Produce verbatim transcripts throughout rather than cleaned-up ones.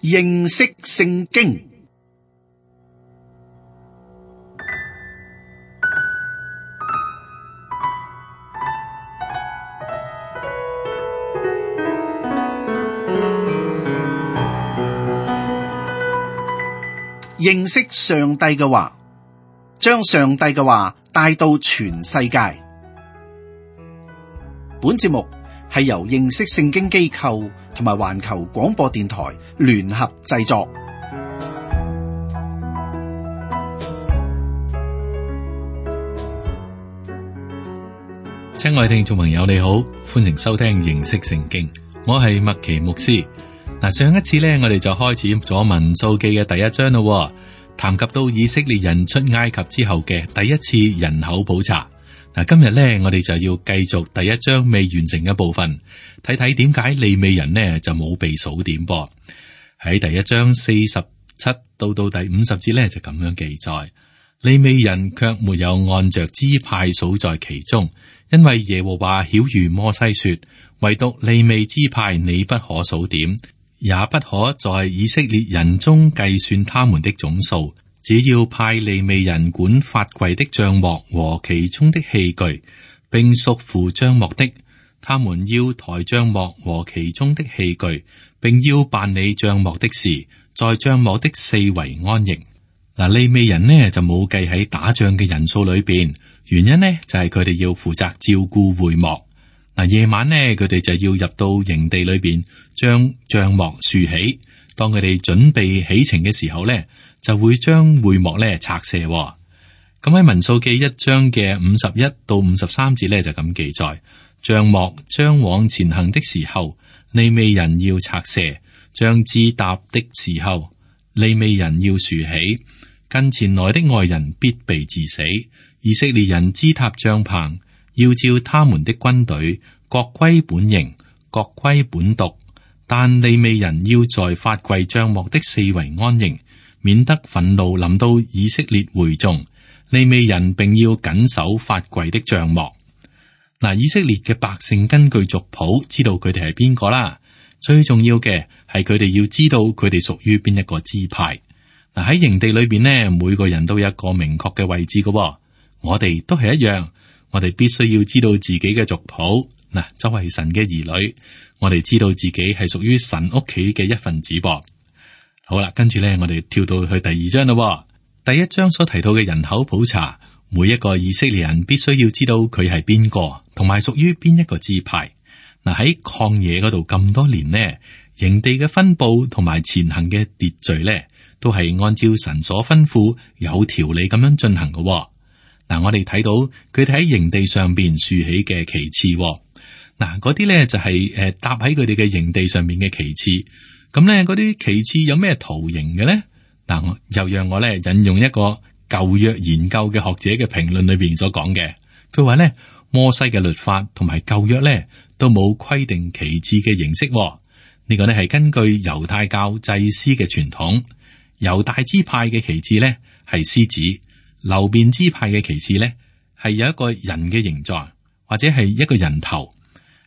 認識聖經。認識上帝嘅話，將上帝嘅話帶到全世界。本節目係由認識聖經機構同埋環球廣播電台聯合製作。親愛聽眾朋友你好，歡迎收聽認識聖經，我係麥奇牧師。嗱，上一次咧，我哋就開始咗民數記嘅第一章咯，談及到以色列人出埃及之後嘅第一次人口普查。嗱，今日咧，我哋就要繼續第一章未完成嘅部分，睇睇點解利未人呢就冇被數點噃。喺第一章四十七到到第五十節咧就咁樣記載，利未人卻沒有按着支派數在其中，因為耶和華曉諭摩西說，唯獨利未支派你不可數點，也不可在以色列人中計算他們的總數，只要派利未人管法櫃的帳幕和其中的器具，並屬乎帳幕的，他們要抬帳幕和其中的器具，並要辦理帳幕的事，在帳幕的四圍安營。嗱，利未人呢就冇計喺打仗嘅人數裏邊，原因呢就係佢哋要負責照顧會幕。嗱，夜晚呢，佢哋就要入到營地裏邊，將帳幕豎起。當佢哋準備起程嘅時候呢，就會將會幕咧拆卸。咁喺民數記一章嘅五十一到五十三節咧就咁記載：帳幕將往前行的時候，利未人要拆卸；將支搭的時候，利未人要豎起。近前來的外人必被治死。以色列人支搭帳棚，要照他們的軍隊，各歸本營，各歸本督。但利未人要在法櫃帳幕的四圍安營，免得憤怒臨到以色列會眾。利未人並要謹守法櫃的帳幕。嗱，以色列嘅百姓根據族譜知道佢哋係邊個啦。最重要嘅係佢哋要知道佢哋屬於邊一個支派。嗱，喺營地裏邊呢，每個人都有一個明確嘅位置嘅。我哋都係一樣，我哋必須要知道自己嘅族譜。嗱，作為神嘅兒女，我哋知道自己係屬於神屋企嘅一份子噃。好啦，跟住咧，我哋跳到去第二章啦。第一章所提到嘅人口普查，每一個以色列人必須要知道佢係邊個，同埋屬於邊一個支派。嗱，喺曠野嗰度咁多年呢，營地嘅分佈同埋前行嘅秩序咧，都係按照神所吩咐有條理咁樣進行嘅。嗱，我哋睇到佢哋喺營地上邊豎起嘅旗幟，嗱，嗰啲咧就係誒搭喺佢哋嘅營地上面嘅旗幟。咁咧，嗰啲旗幟有咩圖形嘅咧？嗱，又讓我咧引用一個舊約研究嘅學者嘅評論裏邊所講嘅，佢話咧，摩西嘅律法同埋舊約咧都冇規定旗幟嘅形式。呢個咧係根據猶太教祭司嘅傳統，猶大支派嘅旗幟咧係獅子。流便支派嘅旗幟咧，係有一個人嘅形狀，或者係一個人頭。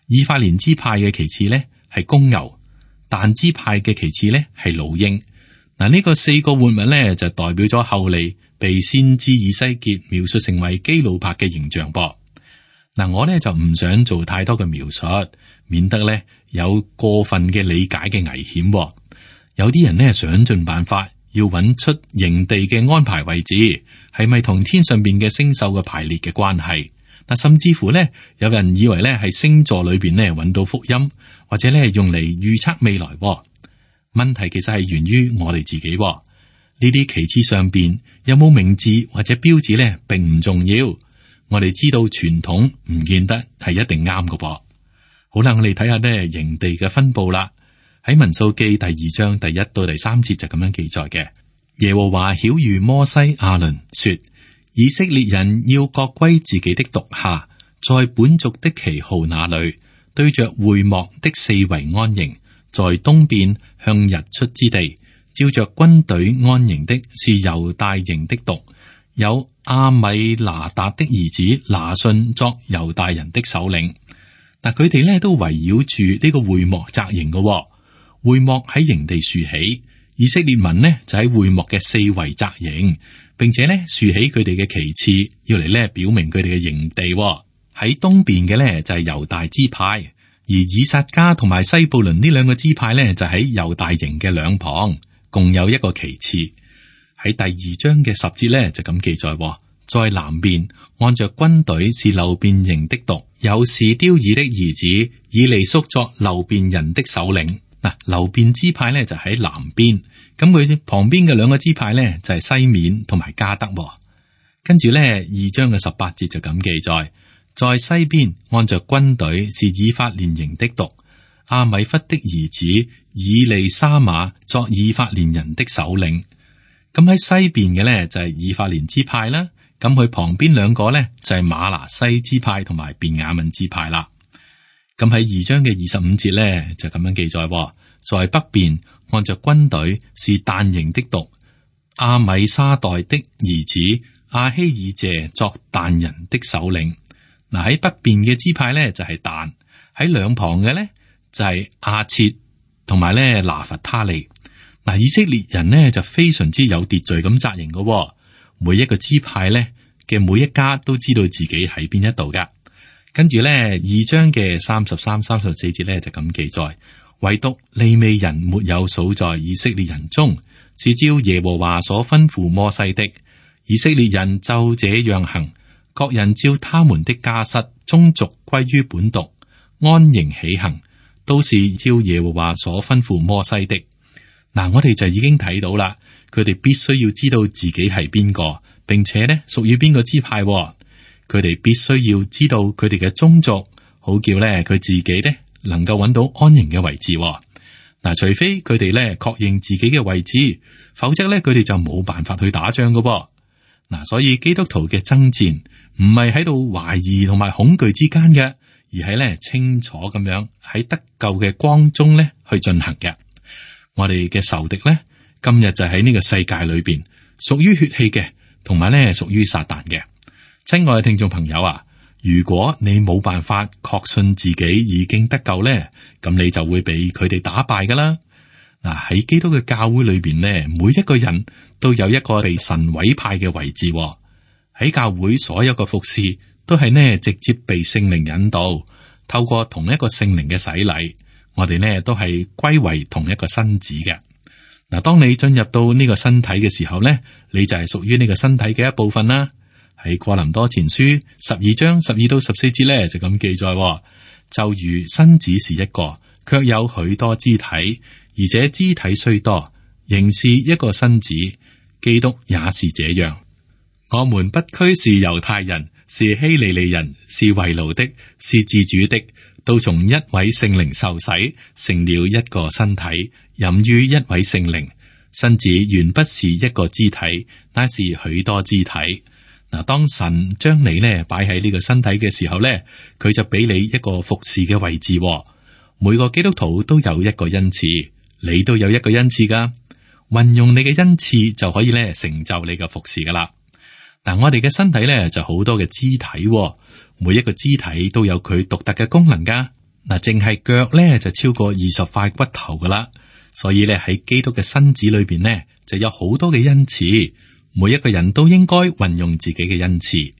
以法蓮支派嘅旗幟咧係公牛，但支派嘅旗幟咧係老鷹。嗱，呢個四個活物咧就代表咗後嚟被先知以西結描述成為基路伯嘅形象噃。嗱，我咧就唔想做太多嘅描述，免得咧有過分嘅理解嘅危險。有啲人咧想盡辦法要揾出營地嘅安排位置。係咪同天上邊嘅星宿嘅排列嘅關係？嗱，甚至乎咧，有人以為咧係星座裏邊咧揾到福音，或者咧係用嚟預測未來。問題其實係源於我哋自己。呢啲旗幟上邊有冇名字或者標誌咧，並唔重要。我哋知道傳統唔見得係一定啱嘅噃。好啦，我哋睇下咧營地嘅分佈啦。喺民數記第二章第一到第三節就咁樣記載嘅。耶和華曉諭摩西亞倫說：以色列人要各歸自己的督下，在本族的旗號那裏，對着會幕的四圍安營，在東邊向日出之地，照着軍隊安營的是猶大營的督，有阿米拿達的兒子拿順作猶大人的首領。嗱，佢哋咧都圍繞住呢個會幕紮營嘅。會幕喺營地豎起，以色列民呢就喺會幕嘅四圍紮營，並且呢豎起佢哋嘅旗幟，要嚟呢表明佢哋嘅營地。喺東邊嘅呢就係猶大支派，而以薩迦同埋西布倫呢兩個支派呢就喺猶大營嘅兩旁，共有一個旗幟。喺第二章嘅十節呢就咁記載，在南邊按着軍隊是流便營的督，有士丟爾的兒子以利宿作流便人的首領。嗱，流便支派呢就喺南邊，咁佢旁邊嘅兩個支派呢就係西面同埋迦得。跟住呢二章嘅十八節就咁記載，在西邊按着軍隊是以法蓮營的督，阿米弗的兒子以利沙瑪作以法蓮人的首領。咁喺西邊嘅呢就係以法蓮支派啦。咁佢旁邊兩個呢，就係瑪拿西支派同埋便雅憫支派啦。咁喺二章嘅二十五節呢，就咁樣記載，在北邊按着軍隊是但營的督，阿米沙代的兒子阿希爾謝作但人的首領。嗱，喺北邊嘅支派呢，就係但，喺兩旁嘅呢，就係阿切同埋咧拿弗他利。嗱，以色列人呢，就非常之有秩序咁紮營嘅。每一個支派咧嘅每一家都知道自己喺邊一度噶。跟住咧二章嘅三十三、三十四節咧就咁記載，唯獨利未人沒有數在以色列人中，是照耶和華所吩咐摩西的。以色列人就這樣行，各人照他們的家室宗族歸於本督，安營起行，都是照耶和華所吩咐摩西的。嗱，我哋就已經睇到啦。佢哋必須要知道自己係邊個，並且咧屬於邊個支派。佢哋必須要知道佢哋嘅宗族，好叫咧佢自己咧能夠揾到安營嘅位置。嗱，除非佢哋咧確認自己嘅位置，否則咧佢哋就冇辦法去打仗噶。嗱，所以基督徒嘅爭戰唔係喺度懷疑同埋恐懼之間嘅，而係咧清楚咁樣喺得救嘅光中咧去進行嘅。我哋嘅仇敵咧。今日就喺呢個世界裏邊，屬於血氣嘅，同埋咧屬於撒旦嘅。親愛嘅聽眾朋友啊，如果你冇辦法確信自己已經得救咧，咁你就會被佢哋打敗噶啦。嗱，喺基督嘅教會裏邊咧，每一個人都有一個被神委派嘅位置。喺教會所有嘅服侍都係呢直接被聖靈引導，透過同一個聖靈嘅洗禮，我哋呢都係歸為同一個身子嘅。嗱，當你進入到呢個身體嘅時候咧，你就係屬於呢個身體嘅一部分啦。喺哥林多前書十二章十二到十四節咧就咁記載，就如身子是一個，卻有許多肢體，而且肢體雖多，仍是一個身子。基督也是這樣。我們不拘是猶太人，是希利尼人，是為奴的，是自主的，都從一位聖靈受洗，成了一個身體，飲於一位聖靈。身子原不是一個肢體，乃是許多肢體。嗱，當神將你咧擺喺呢個身體嘅時候咧，佢就俾你一個服侍嘅位置。每個基督徒都有一個恩賜，你都有一個恩賜噶。運用你嘅恩賜就可以咧成就你嘅服侍噶啦。嗱，我哋嘅身體咧就好多嘅肢體，每一個肢體都有佢獨特嘅功能噶。嗱，淨係腳咧就超過二十塊骨頭噶啦。所以咧喺基督嘅身子裏邊呢，就有好多嘅恩賜，每一個人都應該運用自己嘅恩賜。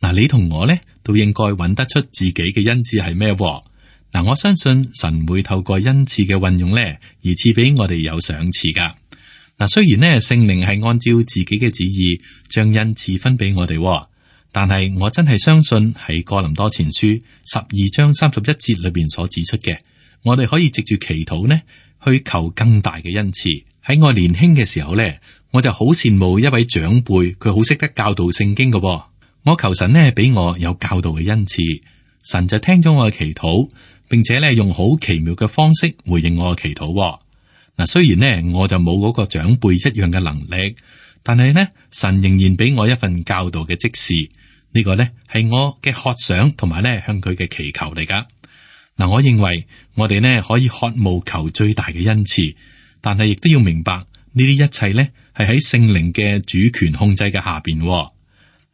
嗱，你同我咧都應該揾得出自己嘅恩賜係咩？嗱，我相信神會透過恩賜嘅運用咧，而賜俾我哋有賞賜噶。嗱，雖然呢聖靈係按照自己嘅旨意將恩賜分俾我哋，但係我真係相信喺哥林多前書十二章三十一節裏邊所指出嘅，我哋可以藉住祈禱呢，去求更大嘅恩賜。喺我年輕嘅時候呢，我就好羨慕一位長輩，佢好識得教導聖經嘅。我求神呢俾我有教導嘅恩賜，神就聽咗我嘅祈禱，並且呢用好奇妙嘅方式回應我嘅祈禱。嗱，雖然呢我就冇嗰個長輩一樣嘅能力，但係呢神仍然俾我一份教導嘅職事。呢個呢係我嘅渴想同埋呢向佢嘅祈求嚟噶。嗱，我認為我哋呢可以渴慕求最大嘅恩賜，但係亦都要明白呢啲一切呢係喺聖靈嘅主權控制嘅下邊。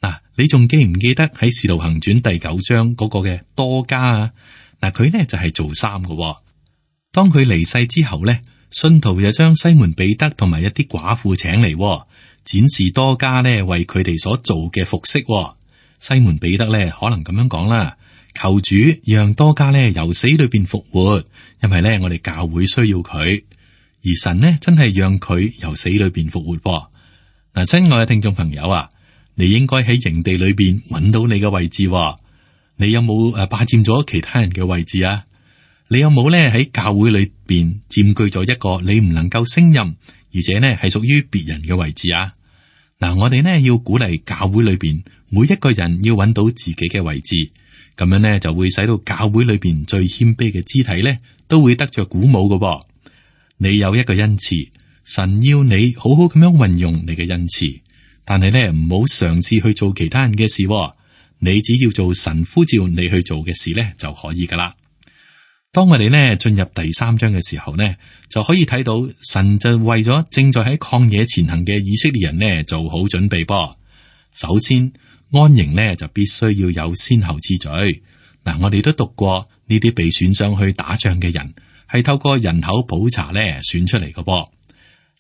嗱，你仲記唔記得喺《使徒行傳》第九章嗰個嘅多加啊？嗱，佢呢就係做衫嘅。當佢離世之後呢，信徒又將西門彼得同埋一啲寡婦請嚟，展示多加呢為佢哋所做嘅服飾。西門彼得呢可能咁樣講啦，求主讓多加呢由死裏邊復活，因為呢我哋教會需要佢，而神呢真係讓佢由死裏邊復活。嗱，親愛嘅聽眾朋友啊，你應該喺營地裏邊揾到你嘅位置。你有冇誒霸佔咗其他人嘅位置啊？你有冇咧喺教會裏邊佔據咗一個你唔能夠勝任，而且呢係屬於別人嘅位置啊？嗱，我哋呢要鼓勵教會裏邊每一個人要揾到自己嘅位置，咁樣呢就會使到教會裏邊最謙卑嘅肢體呢都會得着鼓舞嘅。你有一個恩賜，神要你好好咁樣運用你嘅恩賜，但係呢唔好嘗試去做其他人嘅事。你只要做神呼召你去做嘅事呢就可以噶啦。當我哋呢進入第三章嘅時候呢，就可以睇到神就為咗正在喺曠野前行嘅以色列人呢做好準備噃。首先安營呢就必須要有先後次序。嗱，我哋都讀過呢啲被選上去打仗嘅人係透過人口普查呢選出嚟嘅噃。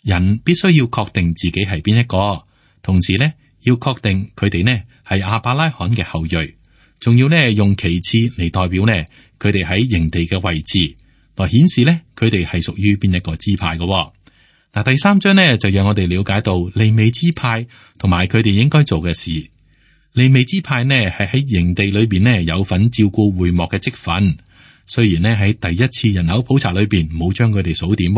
人必須要確定自己係邊一個，同時呢要確定佢哋呢係亞伯拉罕嘅後裔，仲要呢用其次嚟代表呢佢哋喺營地嘅位置，來顯示呢佢哋係屬於邊一個支派嘅。嗱，第三章呢就讓我哋了解到利未支派同埋佢哋應該做嘅事。利未支派呢係喺營地裏邊呢有份照顧會幕嘅職分，雖然呢喺第一次人口普查裏邊冇將佢哋數點，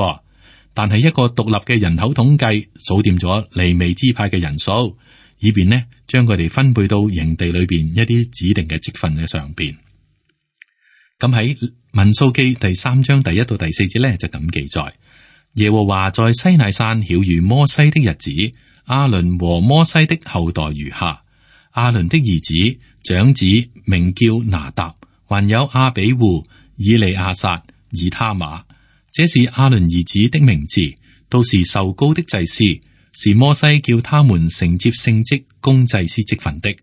但係一個獨立嘅人口統計數點咗利未支派嘅人數，以便呢將佢哋分配到營地裏邊一啲指定嘅職分嘅上邊。咁喺民數記第三章第一到第四節呢，就咁記載：耶和華在西乃山曉諭摩西的日子，亞倫和摩西的後代如下。亞倫的兒子長子名叫拿答，還有亞比戶、以利亞撒、以他瑪，這是亞倫兒子的名字，都是受膏的祭司，是摩西叫他們承接聖職供祭司職分的。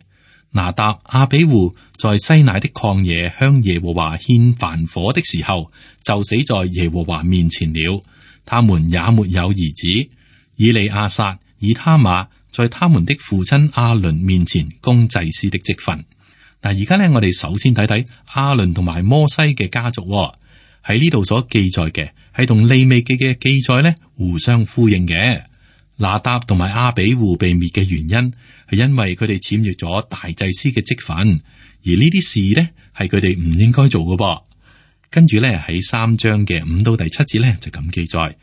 拿答、亞比戶在西乃的曠野向耶和華獻燔火的時候，就死在耶和華面前了。他們也沒有兒子。以利亞撒、以他瑪在他們的父親亞倫面前供祭司的職分。嗱，而家呢，我哋首先睇睇亞倫同埋摩西嘅家族喺呢度所記載嘅，係同利未記嘅記載呢互相呼應嘅。拿答同埋亞比戶被滅嘅原因，係因為佢哋僭越咗大祭司嘅職分，而呢啲事呢係佢哋唔應該做嘅噃。跟住呢，喺三章嘅五到第七節呢，就咁記載：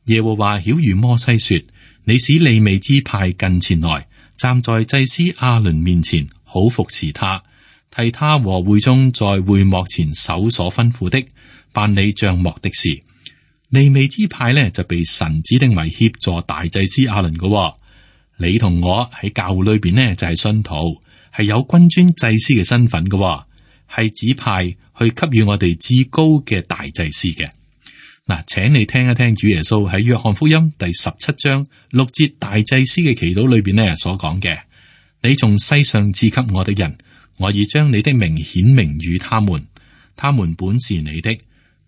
耶和華曉諭摩西說，你使利未支派近前來，站在祭司亞倫面前，好服侍他，替他和會眾在會幕前守所吩咐的，辦理帳幕的事。利未支派呢就被神指定為協助大祭司亞倫嘅。你同我喺教會裏邊呢就係信徒，係有君尊祭司嘅身份嘅，係指派去給予我哋至高嘅大祭司嘅。嗱，請你聽一聽主耶穌喺約翰福音第十七章六節大祭司嘅祈禱裏邊呢所講嘅：你從世上賜給我的人，我已將你的名顯明與他們，他們本是你的。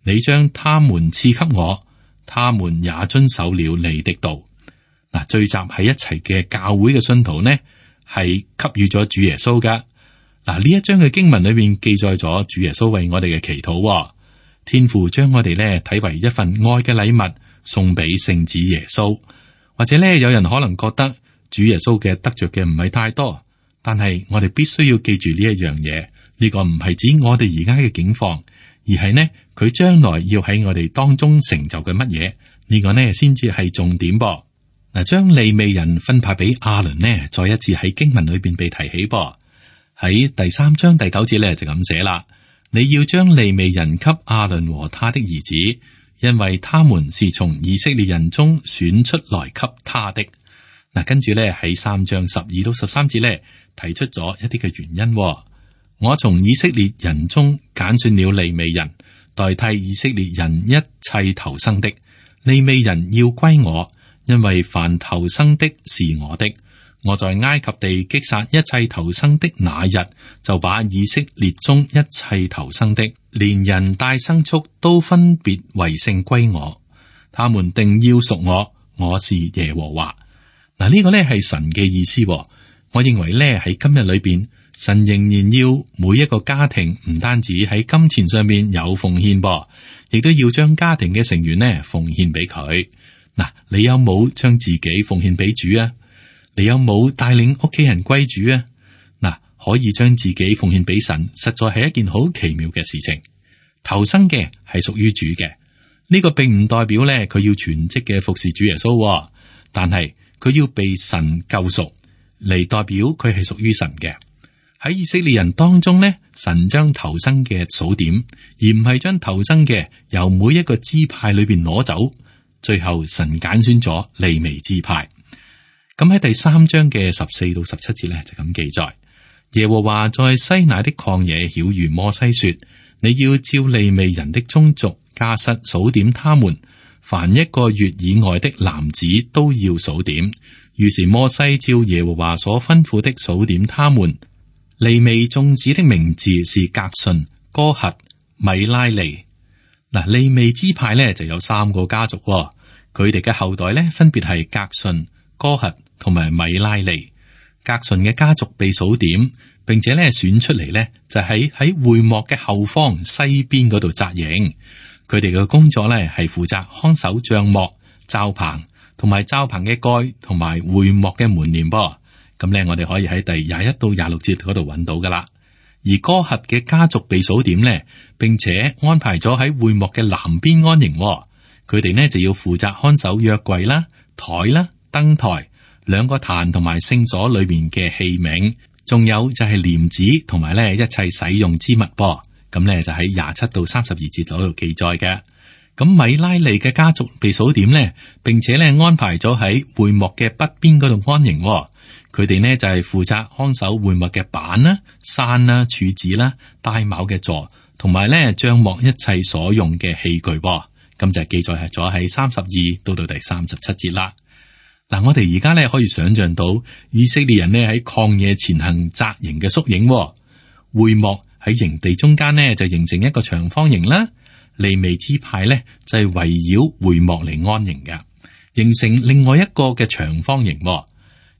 你將他們賜給我，他們也遵守了你的道。嗱，聚集喺一齊嘅教會嘅信徒呢，係給予咗主耶穌噶。嗱，呢一章嘅經文裏面記載咗主耶穌為我哋嘅祈禱。天父將我哋呢睇為一份愛嘅禮物，送俾聖子耶穌。或者呢，有人可能覺得主耶穌嘅得着嘅唔係太多，但係我哋必須要記住呢一樣嘢。呢個唔係指我哋而家嘅境況，而係呢佢將來要喺我哋當中成就嘅乜嘢？呢個呢先至係重點噃。嗱，將利未人分派俾亞倫呢，再一次喺經文裏邊被提起噃。喺第三章第九節咧就咁寫啦：你要將利未人給亞倫和他的兒子，因為他們是從以色列人中選出來給他的。嗱，跟住咧喺三章十二到十三節咧提出咗一啲嘅原因。我從以色列人中揀選了利未人，代替以色列人一切頭生的。利未人要歸我，因為凡頭生的是我的。我在埃及地擊殺一切頭生的那日，就把以色列中一切頭生的，連人帶牲畜都分別為聖歸我。他們定要屬我，我是耶和華。嗱，呢個呢係神嘅意思。我認為呢喺今日裏邊，神仍然要每一個家庭唔單止喺金錢上面有奉獻噃，亦都要將家庭嘅成員呢奉獻俾佢。嗱，你有冇將自己奉獻俾主啊？你有冇帶領屋企人歸主啊？嗱，可以將自己奉獻俾神，實在係一件好奇妙嘅事情。頭生嘅係屬於主嘅，呢、這個並唔代表咧佢要全職嘅服侍主耶穌，但係佢要被神救贖嚟，代表佢係屬於神嘅。喺以色列人當中呢，神將頭生嘅數點，而唔係將頭生嘅由每一個支派裏邊攞走。最後神揀選咗利未支派。咁喺第三章嘅十四到十七節咧就咁記載：耶和華在西乃的曠野曉諭摩西說，你要照利未人的宗族家室數點他們，凡一個月以外的男子都要數點。於是摩西照耶和華所吩咐的數點他們。利未眾子的名字是革順、哥轄、米拉利。嗱，利未支派咧就有三個家族，佢哋嘅後代咧分別係革順、哥轄同埋米拉利。革順嘅家族被數點，並且咧選出嚟咧就喺喺會幕嘅後方西邊嗰度紮營。佢哋嘅工作咧係負責看守帳幕、罩棚同埋罩棚嘅蓋同埋會幕嘅門簾噃。咁咧我哋可以喺第廿一到廿六節嗰度揾到噶啦。而哥轄嘅家族被數點呢，並且安排咗喺會幕嘅南邊安營。佢哋呢就要負責看守約櫃啦、台啦、燈台、兩個壇同埋聖所裏面嘅器皿，仲有就係簾子同埋咧一切使用之物噃。咁咧就喺廿七到三十二節嗰度記載嘅。咁米拉利嘅家族被數點呢，並且咧安排咗喺會幕嘅北邊嗰度安營。佢哋呢就係負責看守會幕嘅板啦、山啦、柱子啦、帶卯嘅座，同埋咧帳幕一切所用嘅器具。咁就記載咗喺三十二到到第三十七節啦。嗱，我哋而家咧可以想象到以色列人呢喺曠野前行紮營嘅縮影。會幕喺營地中間呢就形成一個長方形啦。利未支派咧就係圍繞會幕嚟安營嘅，形成另外一個嘅長方形。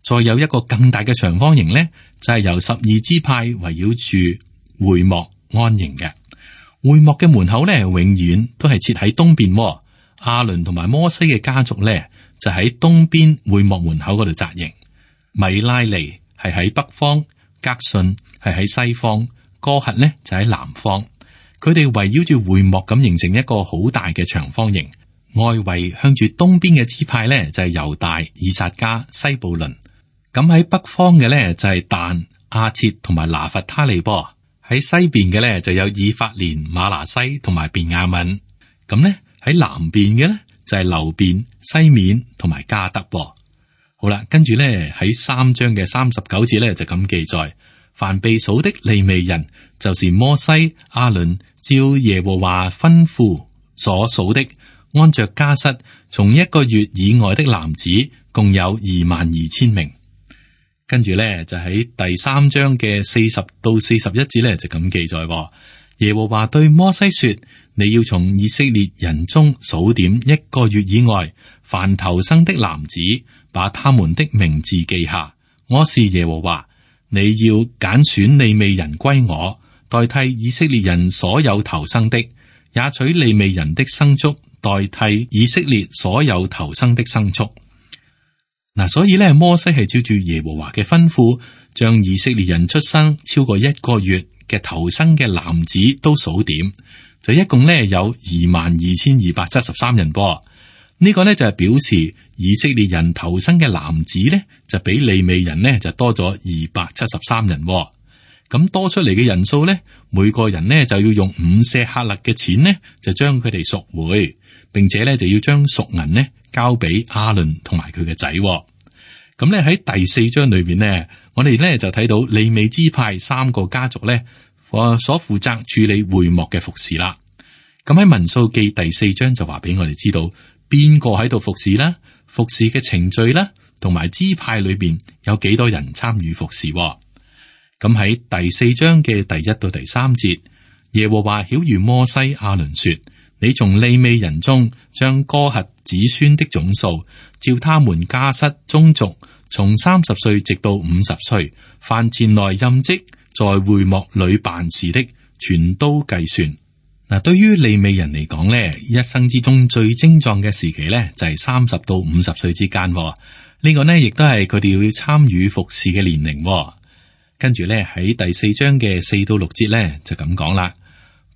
再有一個更大嘅長方形咧，就係由十二支派圍繞住會幕安營嘅。會幕嘅門口咧，永遠都係設喺東邊。亞倫同埋摩西嘅家族咧，就喺東邊會幕門口嗰度紮營。米拉利係喺北方，革順係喺西方，哥轄咧就喺南方。佢哋圍繞住會幕咁形成一個好大嘅長方形。外圍向住東邊嘅支派咧，就係猶大、以薩迦、西布倫。咁喺北方嘅咧就係但、亞設同埋拿弗他利波，喺西邊嘅咧就有以法蓮、瑪拿西同埋便雅憫。咁咧喺南邊嘅咧就係流便、西面同埋加德。好啦，跟住咧喺三章嘅三十九節咧就咁記載：凡被數的利未人，就是摩西、亞倫照耶和華吩咐所數的，按着家室，從一個月以外的男子，共有二萬二千名。跟住咧就喺第三章嘅四十到四十一節咧就咁記載：耶和華對摩西說，你要從以色列人中數點一個月以外凡頭生的男子，把他們的名字記下。我是耶和華，你要揀選利未人歸我，代替以色列人所有頭生的，也取利未人的牲畜代替以色列所有頭生的牲畜。嗱，所以咧，摩西係照住耶和華嘅吩咐，將以色列人出生超過一個月嘅頭生嘅男子都數點，就一共咧有二萬二千二百七十三人噃。呢個咧就係表示以色列人頭生嘅男子咧就比利未人呢就多咗二百七十三人。咁多出嚟嘅人數咧，每個人呢就要用五舍客勒嘅錢呢，就將佢哋贖回，並且咧就要將贖銀呢交俾亞倫同埋佢嘅仔。咁咧喺第四章裏邊呢，我哋咧就睇到利未支派三個家族咧，所負責處理會幕嘅服侍啦。咁喺民數記第四章就話俾我哋知道邊個喺度服侍啦，服侍嘅程序啦，同埋支派裏邊有幾多人參與服侍。咁喺第四章嘅第一到第三節，耶和華曉諭摩西、亞倫說：你從利未人中將哥轄子孫的總數，照他們家室宗族，從三十歲直到五十歲，凡前來任職在會幕裏辦事的，全都計算。嗱，對於利未人嚟講呢，一生之中最精壯嘅時期呢，就係三十到五十歲之間。呢、這個呢，亦都係佢哋要參與服侍嘅年齡。跟住呢，喺第四章嘅四到六節呢，就咁講啦。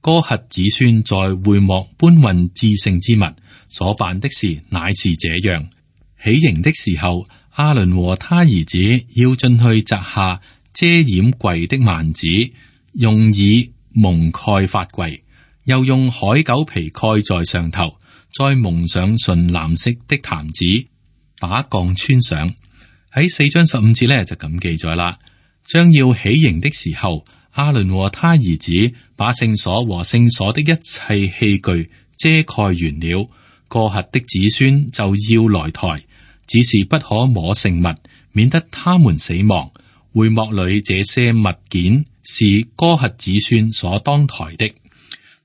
哥轄子孫在會幕搬運至聖之物所辦的事，乃是這樣：起營的時候，亞倫和他兒子要進去摘下遮掩櫃的幔子，用以蒙蓋法櫃，又用海狗皮蓋在上頭，再蒙上純藍色的毯子，把槓穿上。喺四章十五節呢，就咁記載啦。將要起營的時候，亞倫和他兒子把聖所和聖所的一切器具遮蓋完了，哥轄的子孫就要來抬，只是不可摸聖物，免得他們死亡。會幕裏這些物件是哥轄子孫所當抬的。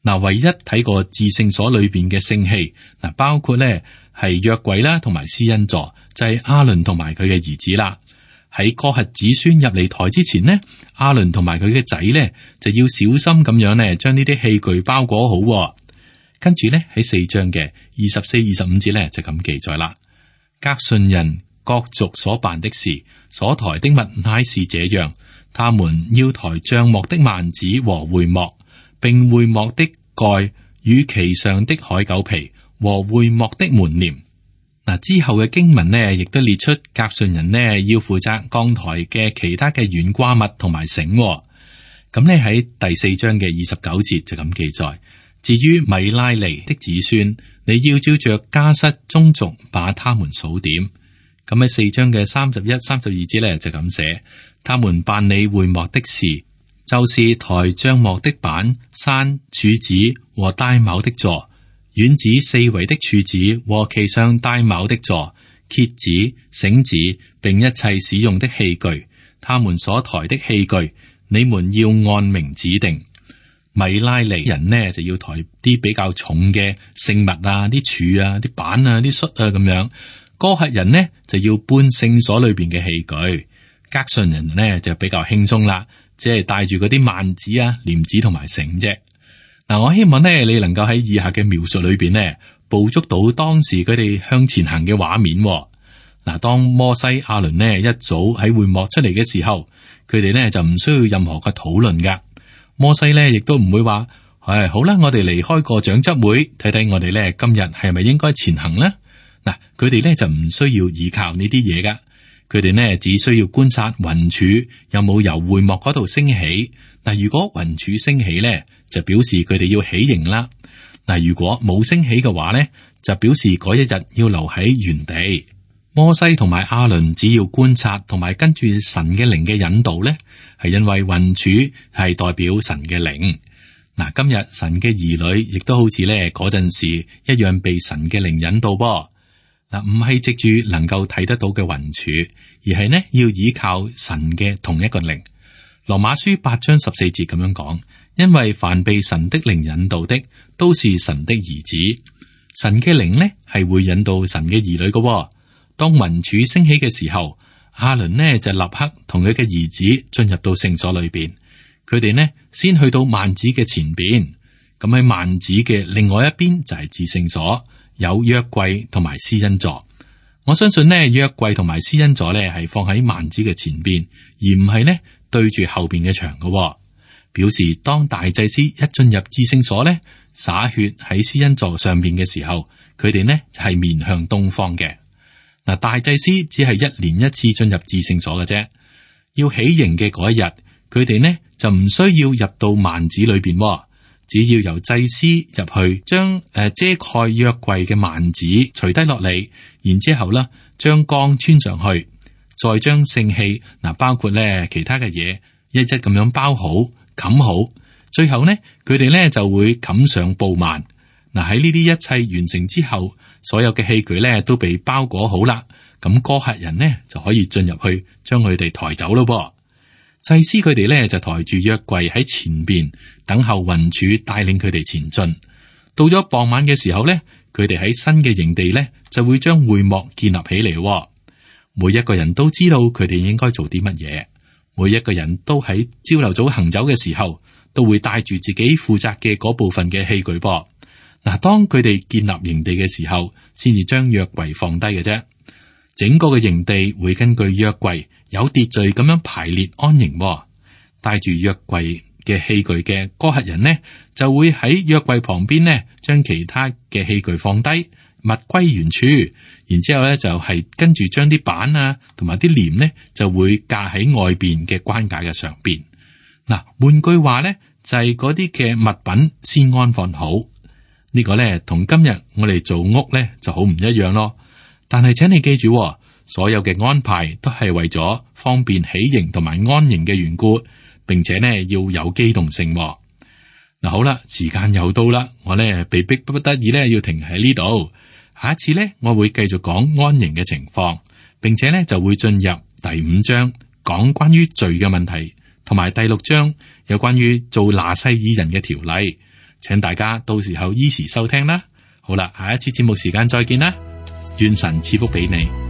嗱，唯一睇過至聖所裏邊嘅聖器，嗱，包括咧係約櫃啦，同埋施恩座，就係亞倫同埋佢嘅兒子啦。喺哥轄子孫入嚟台之前呢，亞倫同埋佢嘅仔呢，就要小心咁樣呢，將呢啲器具包裹好。跟住呢，喺四章嘅二十四、二十五節呢，就咁記載啦。革順人各族所辦的事，所抬的物乃是這樣：他們要抬帳幕的幔子和會幕，並會幕的蓋與其上的海狗皮和會幕的門簾。嗱，之後嘅經文呢，亦都列出革順人呢要負責扛抬嘅其他嘅懸掛物同埋繩。咁呢喺第四章嘅二十九節就咁記載。至於米拉利的子孫，你要照着家室宗族把他們數點。咁喺四章嘅三十一、三十二節呢，就咁寫，他們辦理會幕的事，就是抬帳幕的板、山、柱子和帶卯的座。院子四圍的柱子和其上帶卯的座、橛子、繩子，並一切使用的器具，他們所抬的器具，你們要按名指定。米拉利人呢就要抬啲比較重嘅聖物啊，啲柱啊、啲板啊、啲恤啊咁樣。哥轄人呢就要搬聖所裏邊嘅器具。革順人呢就比較輕鬆啦，只係帶住嗰啲幔子啊、簾子同埋繩啫。嗱，我希望呢，你能夠喺以下嘅描述裏邊呢，捕捉到當時佢哋向前行嘅畫面。嗱，當摩西、亞倫呢一早喺會幕出嚟嘅時候，佢哋呢就唔需要任何嘅討論噶。摩西呢亦都唔會話，唉，好啦，我哋離開個長執會，睇睇我哋呢今日係咪應該前行呢？嗱，佢哋呢就唔需要依靠呢啲嘢噶，佢哋呢只需要觀察雲柱有冇由會幕嗰度升起。嗱，如果雲柱升起呢，就表示佢哋要起營啦。嗱，如果冇升起嘅話呢，就表示嗰一日要留喺原地。摩西同埋亞倫只要觀察同埋跟住神嘅靈嘅引導呢，係因為雲柱係代表神嘅靈。嗱，今日神嘅兒女亦都好似咧嗰陣時一樣被神嘅靈引導噃。嗱，唔係藉住能夠睇得到嘅雲柱，而係呢要依靠神嘅同一個靈。羅馬書八章十四節咁樣講。因為凡被神的靈引導的，都是神的兒子。神嘅靈呢係會引導神嘅兒女嘅。當雲柱升起嘅時候，亞倫呢就立刻同佢嘅兒子進入到聖所裏邊。佢哋呢先去到幔子嘅前邊，咁喺幔子嘅另外一邊就係至聖所，有約櫃同埋施恩座。我相信呢約櫃同埋施恩座呢係放喺幔子嘅前邊，而唔係呢對住後邊嘅牆嘅。表示當大祭司一進入至聖所咧，灑血喺施恩座上邊嘅時候，佢哋呢就係面向東方嘅。嗱，大祭司只係一年一次進入至聖所嘅啫。要起營嘅嗰一日，佢哋呢就唔需要入到幔子裏邊，只要由祭司入去，將誒遮蓋約櫃嘅幔子除低落嚟，然之後咧將槓穿上去，再將聖器嗱，包括咧其他嘅嘢，一一咁樣包好。冚好，最後呢，佢哋呢就會冚上布幔。嗱，喺呢啲一切完成之後，所有嘅器具呢都被包裹好啦。咁哥轄人呢就可以進入去，將佢哋抬走咯。噃，祭司佢哋呢就抬住約櫃喺前邊，等候雲柱帶領佢哋前進。到咗傍晚嘅時候咧，佢哋喺新嘅營地咧就會將會幕建立起嚟。每一個人都知道佢哋應該做啲乜嘢，每一個人都喺朝頭早行走嘅時候，都會帶住自己負責嘅嗰部分嘅器具噃。嗱，當佢哋建立營地嘅時候，先至將約櫃放低嘅啫。整個嘅營地會根據約櫃有秩序咁樣排列安營。帶住約櫃嘅器具嘅哥轄人呢，就會喺約櫃旁邊呢，將其他嘅器具放低，物歸原處。然之後咧就係跟住將啲板啊，同埋啲簾呢，就會架喺外邊嘅關架嘅上邊。嗱，換句話咧，就係嗰啲嘅物品先安放好。呢個咧同今日我哋做屋咧就好唔一樣咯。但係請你記住，所有嘅安排都係為咗方便起營同埋安營嘅緣故。並且呢要有機動性。嗱，好啦，時間又到啦，我呢被逼不得已呢要停喺呢度。下一次呢，我會繼續講安營嘅情況，並且呢就會進入第五章講關於罪嘅問題，同埋第六章有關於做拿細耳人嘅條例。請大家到時候依時收聽啦。好啦，下一次節目時間再見啦，願神賜福俾你。